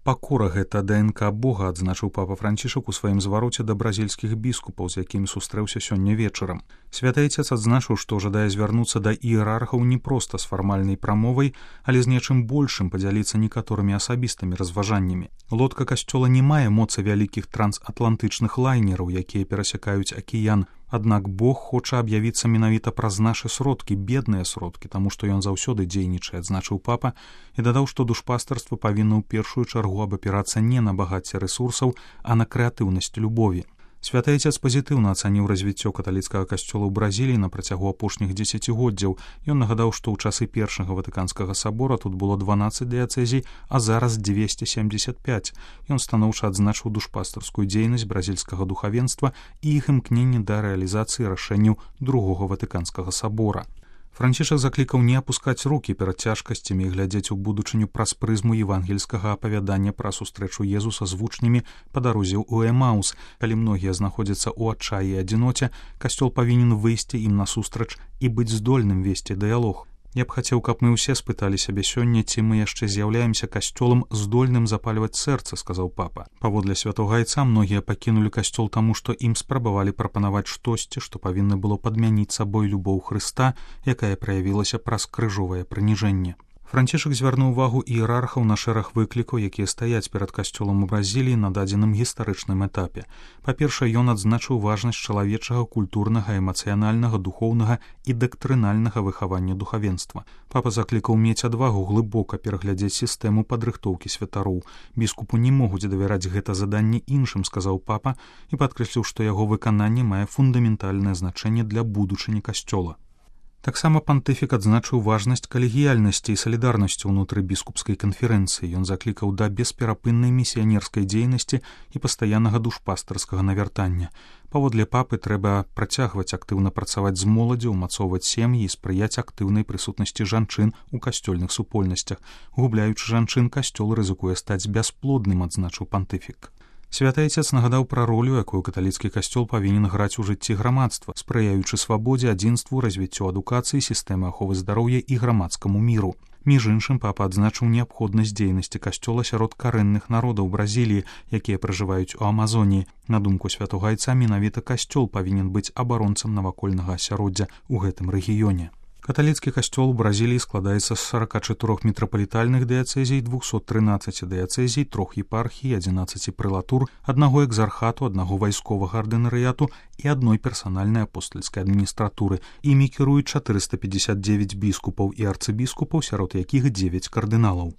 Пакора гэта ДНК Бога, адзначыў папа Францішак у сваім звароце да бразільскіх біскупаў, з якімі сустрэўся сёння вечарам. Святы Айцец адзначыў, што жадае звярнуцца да іерархаў не проста з фармальнай прамовай, але з нечым большым падзяліцца некаторымі асабістымі разважаннямі. Лодка касцёла не мае моцы вялікіх трансатлантычных лайнераў, якія перасякаюць акіян. Аднак Бог хоча аб'явіцца менавіта праз нашы сродкі, бедныя сродкі, таму што ён заўсёды дзейнічае, адзначыў папа, і дадаў, што душпастарства павінна ў першую чаргу абапірацца не на багацце рэсурсаў, а на крэатыўнасць любові. Святы Айцец пазітыўна ацаніў развіццё каталіцкага касцёла ў Бразіліі на працягу апошніх дзесяцігоддзяў. Ён нагадаў, што ў часы першага ватыканскага сабора тут было 12 дыяцэзій, а зараз 275. Ён станоўча адзначыў душпастарскую дзейнасць бразільскага духавенства і іх імкненне да рэалізацыі рашэнняў другога ватыканскага сабора. Францішак заклікаў не апускаць рукі перад цяжкасцямі і глядзець у будучыню праз прызму евангельскага апавядання пра сустрэчу Езуса з вучнямі па дарозе ў Эмаус. Калі многія знаходзяцца ў адчаі і адзіноце, касцёл павінен выйсці ім насустрач і быць здольным весці дыялог. Я б хацеў, каб мы ўсе спыталі сябе сёння, ці мы яшчэ з'яўляемся касцёлам здольным запальваць сэрца, сказаў папа. Паводле святога Айца многія пакінулі касцёл таму, што ім спрабавалі прапанаваць штосьці, што павінна было падмяніць сабой любоў Хрыста, якая праявілася праз крыжовае прыніжэнне. Францішак звярнуў увагу іерархаў на шэраг выклікаў, якія стаяць перад касцёлам у Бразіліі на дадзеным гістарычным этапе. Па-першае, ён адзначыў важнасць чалавечага, культурнага, эмацыянальнага, духоўнага і дактрынальнага выхавання духавенства. Папа заклікаў мець адвагу глыбока пераглядзець сістэму падрыхтоўкі святароў. Біскупу не могуць давяраць гэта заданне іншым, сказаў папа, і падкрэсліў, што яго выкананне мае фундаментальнае значэнне для будучыні касцёла. Таксама пантыфік адзначыў важнасць калегіяльнасці і салідарнасці ўнутры біскупскай канферэнцыі. Ён заклікаў да бесперапыннай місіянерскай дзейнасці і пастаяннага душпастарскага навяртання. Паводле папы трэба працягваць актыўна працаваць з моладдзю, умацоўваць сем'і і спрыяць актыўнай прысутнасці жанчын у касцёльных супольнасцях. Губляючы жанчын, касцёл рызыкуе стаць бясплодным, адзначыў пантыфік. Святы Айцец нагадаў пра ролю, якую каталіцкі касцёл павінен граць у жыцці грамадства, спрыяючы свабодзе, адзінству, развіццю адукацыі, сістэмы аховы здароўя і грамадскаму міру. Між іншым, папа адзначыў неабходнасць дзейнасці касцёла сярод карэнных народаў Бразіліі, якія пражываюць у Амазоніі. На думку святога Айца, менавіта касцёл павінен быць абаронцам навакольнага асяроддзя ў гэтым рэгіёне. Каталіцкі касцёл у Бразіліі складаецца з 44 мітрапалітальных дыяцэзій, 213 дыяцэзій, 3 епархій, 11 прэлатур, 1 экзархату, 1 вайсковага ардынарыяту і 1 персанальнай апостальскай адміністратуры. Імі кіруюць 459 біскупаў і арцыбіскупаў, сярод якіх 9 кардыналаў.